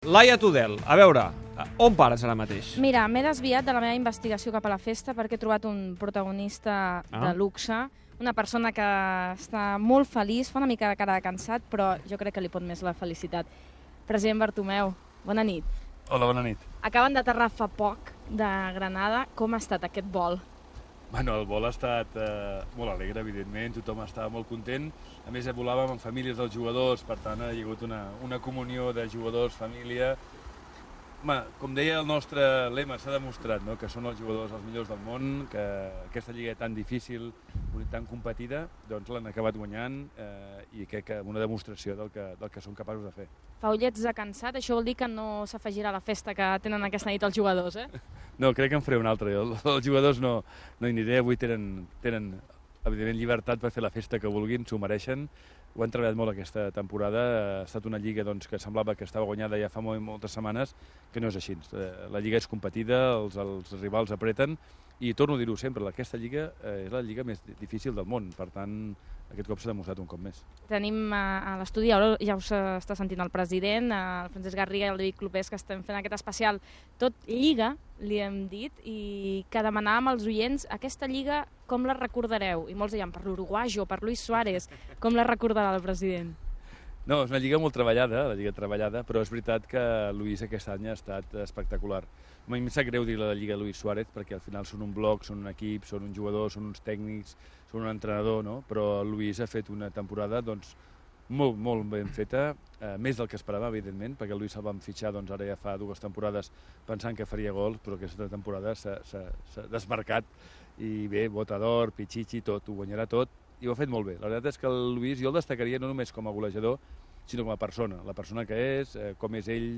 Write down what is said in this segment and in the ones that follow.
Laia Tudel, a veure, on pares ara mateix? Mira, m'he desviat de la meva investigació cap a la festa perquè he trobat un protagonista de luxe, una persona que està molt feliç, fa una mica de cara de cansat, però jo crec que li pot més la felicitat. President Bartomeu, bona nit. Hola, bona nit. Acaben d'aterrar fa poc de Granada. Com ha estat aquest vol? Bueno, el vol ha estat molt alegre, evidentment, tothom estava molt content. A més, volàvem amb famílies dels jugadors, per tant, ha hagut una comunió de jugadors, família. Home, com deia el nostre lema, s'ha demostrat, no?, que són els jugadors els millors del món, que aquesta lliga tan difícil, tan competida, doncs l'han acabat guanyant i crec que una demostració del que són capaços de fer. Fa ullets de cansat, això vol dir que no s'afegirà a la festa que tenen aquesta nit els jugadors, eh? No, crec que en faré una altra. Els jugadors no hi aniré, avui tenen evidentment llibertat per fer la festa que vulguin, s'ho mereixen. Ho han treballat molt aquesta temporada, ha estat una lliga doncs, que semblava que estava guanyada ja fa moltes setmanes, que no és així. La lliga és competida, els rivals apreten, i torno a dir-ho sempre, aquesta lliga és la lliga més difícil del món, per tant, aquest cop s'ha demostrat un cop més. Tenim a l'estudi, ja us està sentint el president, el Francesc Garriga i el David Clopés, que estem fent aquest especial tot lliga, li hem dit, i que demanàvem als oients, aquesta lliga com la recordareu? I molts deien per l'Uruguayo, per Luis Suárez, com la recordarà el president? No, és una lliga molt treballada, però és veritat que Luis aquest any ha estat espectacular. A mi em sap greu dir la lliga Luis Suárez, perquè al final són un bloc, són un equip, són un jugador, són uns tècnics, són un entrenador, no? Però Luis ha fet una temporada doncs, molt, molt ben feta, més del que esperava, evidentment, perquè Luis el vam fitxar doncs, ara ja fa 2 temporades pensant que faria gols, però aquesta temporada s'ha desmarcat i bé, bota d'or, Pichichi, tot, ho guanyarà tot, i ho ha fet molt bé. La veritat és que el Luis jo el destacaria no només com a golejador, sinó com a persona, la persona que és, com és ell,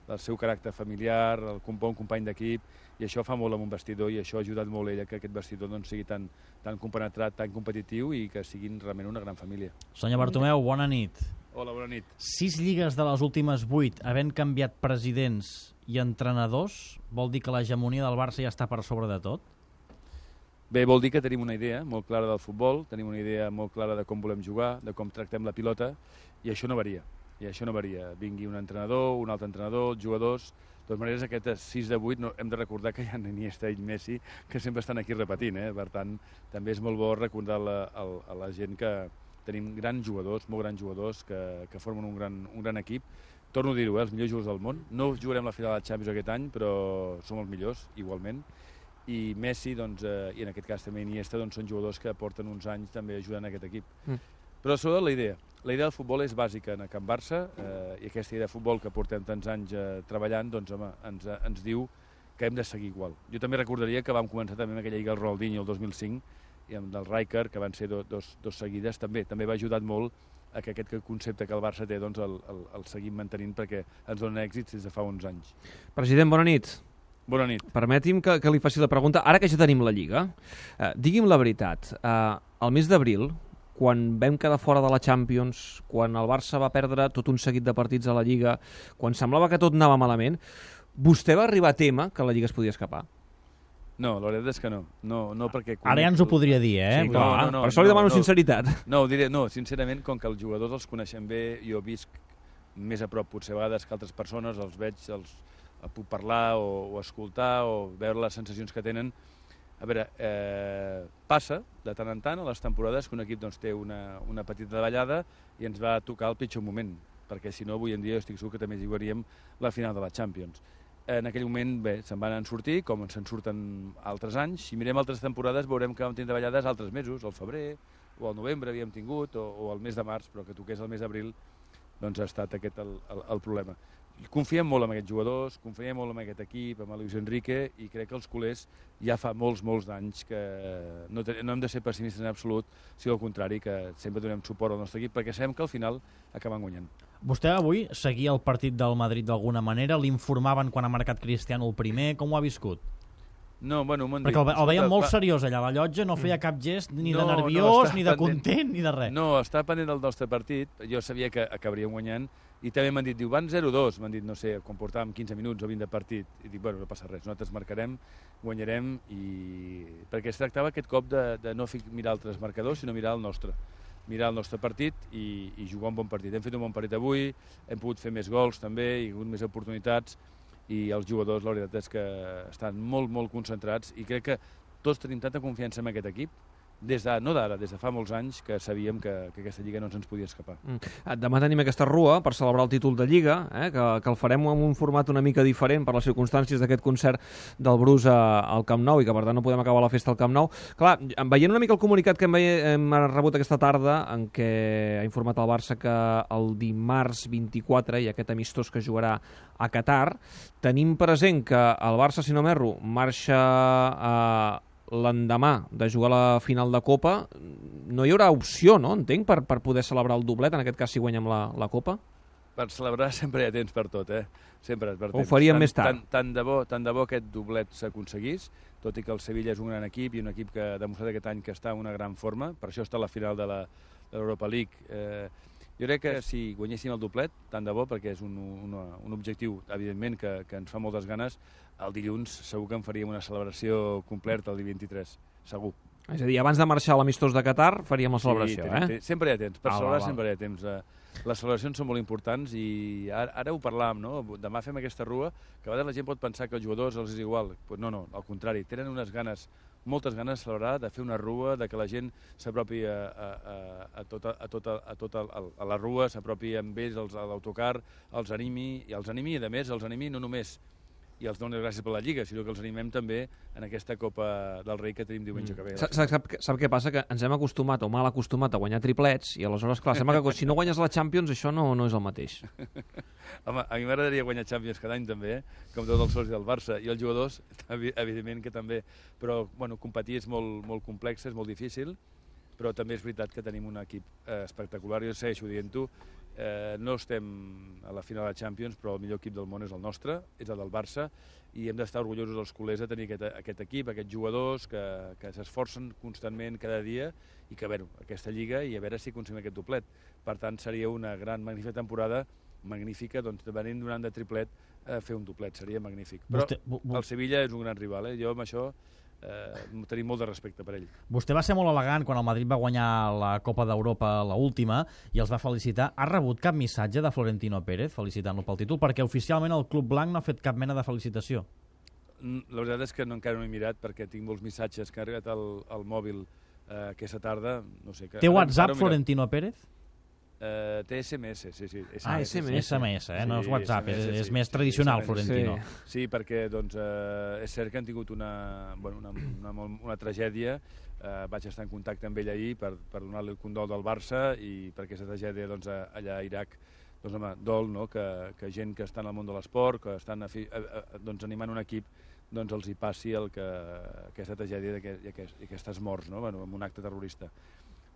el seu caràcter familiar, el bon company d'equip, i això fa molt amb un vestidor i això ha ajudat molt ella que aquest vestidor doncs, sigui tan compenetrat, tan competitiu i que siguin realment una gran família. Senyor Bartomeu, bona nit. Hola, bona nit. 6 lligues de les últimes 8, havent canviat presidents i entrenadors, vol dir que l'hegemonia del Barça ja està per sobre de tot? Bé, vol dir que tenim una idea molt clara del futbol, tenim una idea molt clara de com volem jugar, de com tractem la pilota, i això no varia. Vingui un entrenador, un altre entrenador, els jugadors. De totes maneres, aquest 6 de 8 hem de recordar que hi ha Iniesta i Messi que sempre estan aquí repetint, Per tant, també és molt bo recordar a la gent que tenim grans jugadors, molt grans jugadors, que formen un gran equip. Torno a dir-ho, els millors jugadors del món. No jugarem la final de la Champions aquest any, però som els millors, igualment. I Messi, doncs, i en aquest cas també Iniesta, doncs, són jugadors que porten uns anys també ajudant aquest equip. Però sobretot la idea del futbol és bàsica en Can Barça, i aquesta idea de futbol que portem tants anys treballant, doncs, home, ens diu que hem de seguir igual. Jo també recordaria que vam començar també amb aquella lliga del Ronaldinho el 2005, i amb del Rijkaard, que van ser dos seguides, també va ajudar molt a que aquest concepte que el Barça té, doncs, el seguim mantenint perquè ens dona èxits des de fa uns anys. President, bona nit. Bona nit. Permeti'm que li faci la pregunta, ara que ja tenim la Lliga, digui'm la veritat, al mes d'abril, quan vam quedar fora de la Champions, quan el Barça va perdre tot un seguit de partits a la Lliga, quan semblava que tot anava malament, vostè va arribar a témer que la Lliga es podia escapar? No, la veritat és que no. No perquè... Ara ja ens ho podria dir, Sí, clar, per això li demano sinceritat. No, ho diré, sincerament, com que els jugadors els coneixem bé, jo visc més a prop potser a vegades que altres persones, els veig, puc parlar o escoltar o veure les sensacions que tenen. A veure, passa de tant en tant a les temporades que un equip doncs, té una petita davallada i ens va tocar el pitjor moment, perquè si no avui en dia estic segur que també jugaríem la final de la Champions. En aquell moment, bé, se'n van sortir, com se'n surten altres anys. Si mirem altres temporades veurem que vam tenir davallades altres mesos, al febrer o al novembre havíem tingut, o al mes de març, però que toqués el mes d'abril, doncs ha estat aquest el problema. Confiem molt en aquests jugadors, confiem molt en aquest equip, amb Luis Enrique, i crec que els culers ja fa molts d'anys que no hem de ser pessimistes en absolut, sinó al contrari, que sempre donem suport al nostre equip, perquè sabem que al final acaben guanyant. Vostè avui seguia el partit del Madrid d'alguna manera? L'informaven quan ha marcat Cristiano el primer? Com ho ha viscut? No, bueno, perquè el veiem molt seriós allà, la llotja no feia cap gest ni de nerviós, ni de content, ni de res. No, està pendent del nostre partit, jo sabia que acabaríem guanyant, i també m'han dit, van 0-2, m'han dit, no sé, quan portàvem 15 minuts o 20 de partit, i dic, bueno, no passa res, nosaltres marcarem, guanyarem, perquè es tractava aquest cop de no mirar altres marcadors, sinó mirar el nostre. mirar el nostre partit i jugar un bon partit. Hem fet un bon partit avui, hem pogut fer més gols també, hi ha hagut més oportunitats, i els jugadors, la veritat és que estan molt, molt concentrats, i crec que tots tenim tanta confiança en aquest equip, no d'ara, des de fa molts anys, que sabíem que aquesta Lliga no ens podia escapar. Demà tenim aquesta rua per celebrar el títol de Lliga, que el farem en un format una mica diferent per les circumstàncies d'aquest concert del Bruce al Camp Nou, i que per tant no podem acabar la festa al Camp Nou. Clar, veient una mica el comunicat que hem rebut aquesta tarda, en què ha informat el Barça que el dimarts 24 hi ha aquest amistós que jugarà a Qatar, tenim present que el Barça, si no m'erro, marxa l'endemà de jugar la final de Copa. No hi haurà opció, no? Entenc, per poder celebrar el doblet, en aquest cas si guanyem la Copa? Per celebrar sempre hi ha temps per tot, Sempre per temps. Ho faríem més tard. Tant de bo aquest doblet s'aconseguís, tot i que el Sevilla és un gran equip i un equip que ha demostrat aquest any que està en una gran forma, per això està a la final de l'Europa League. Jo crec que si guanyéssim el doblet, tant de bo, perquè és un objectiu, evidentment, que ens fa moltes ganes, el dilluns segur que en faríem una celebració completa el dia 23, segur. És a dir, abans de marxar a l'amistós de Qatar faríem la celebració, sempre hi ha temps, per celebrar sempre hi ha temps. Les celebracions són molt importants i ara ho parlàvem, no? Demà fem aquesta rua, que a vegades la gent pot pensar que als jugadors els és igual. Pues no, al contrari, tenen unes ganes, moltes ganes de celebrar, de fer una rua, de que la gent s'apropi a la rua, s'apropi amb ells a l'autocar, els animi, i a més els animi no només i els dones gràcies per la Lliga, sinó que els animem també en aquesta Copa del Rei que tenim diumenge que ve. Sap què passa? Que ens hem acostumat, o mal acostumat, a guanyar triplets, i aleshores, clar, sembla que si no guanyes la Champions això no és el mateix. Home, a mi m'agradaria guanyar Champions cada any també, com tots els socis del Barça, i els jugadors, evidentment que també, però bueno, competir és molt complex, és molt difícil, però també és veritat que tenim un equip espectacular, jo segueixo dient-ho. No estem a la final de la Champions, però el millor equip del món és el nostre, és el del Barça, i hem d'estar orgullosos els culers de tenir aquest equip, aquests jugadors que s'esforcen constantment cada dia i que, aquesta Lliga, i a veure si aconseguim aquest doblet. Per tant, seria una gran, magnífica temporada, magnífica, doncs, venint d'un any de triplet, fer un doblet, seria magnífic. Però el Sevilla és un gran rival, jo amb això tenim molt de respecte per ell. Vostè va ser molt elegant quan el Madrid va guanyar la Copa d'Europa, l'última, i els va felicitar. Ha rebut cap missatge de Florentino Pérez felicitant-lo pel títol? Perquè oficialment el Club Blanc no ha fet cap mena de felicitació. La veritat és que encara no he mirat, perquè tinc molts missatges que han arribat al mòbil aquesta tarda. No sé, té WhatsApp Florentino Pérez? Té SMS, sí. SMS, no és WhatsApp, és més tradicional, Florentino. Sí, perquè és cert que han tingut una tragèdia. Vaig estar en contacte amb ell ahir per donar-li el condol del Barça, i per aquesta tragèdia allà a Iraq, dol que gent que està en el món de l'esport, que estan animant un equip, els hi passi aquesta tragèdia i aquestes morts en un acte terrorista.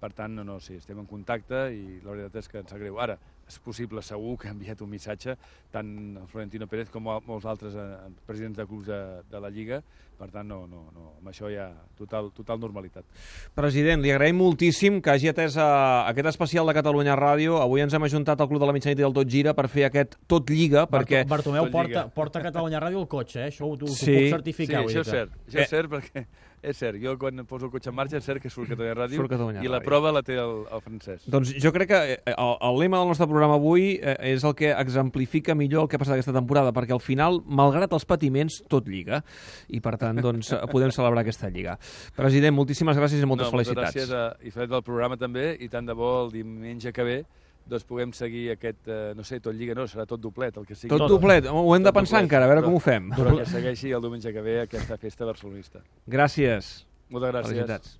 Per tant, sí, estem en contacte i la veritat és que ens sap greu. Ara, és possible, segur, que ha enviat un missatge, tant el Florentino Pérez com molts altres presidents de clubs de la Lliga. Per tant, amb això hi ha total normalitat. President, li agraïm moltíssim que hagi atès aquest especial de Catalunya Ràdio. Avui ens hem ajuntat al Club de la Mitjanit i del Tot Gira per fer aquest Tot Lliga, perquè... Bartomeu porta Catalunya Ràdio al cotxe, això ho puc certificar. Sí, això és cert, perquè... És cert, jo quan poso el cotxe en marxa és cert que surt Catalunya Ràdio, i la prova la té el Francesc. Doncs jo crec que el lema del nostre programa avui és el que exemplifica millor el que ha passat aquesta temporada, perquè al final, malgrat els patiments, tot lliga, i per tant podem celebrar aquesta lliga. President, moltíssimes gràcies i moltes felicitats. Moltes gràcies, i fet del programa també, i tant de bo el diumenge que ve puguem seguir aquest, tot lliga serà tot doblet, el que sigui. Tot doblet, ho hem de pensar encara, a veure com ho fem. Però que segueixi el diumenge que ve aquesta festa barcelonista. Gràcies. Moltes gràcies. Felicitats.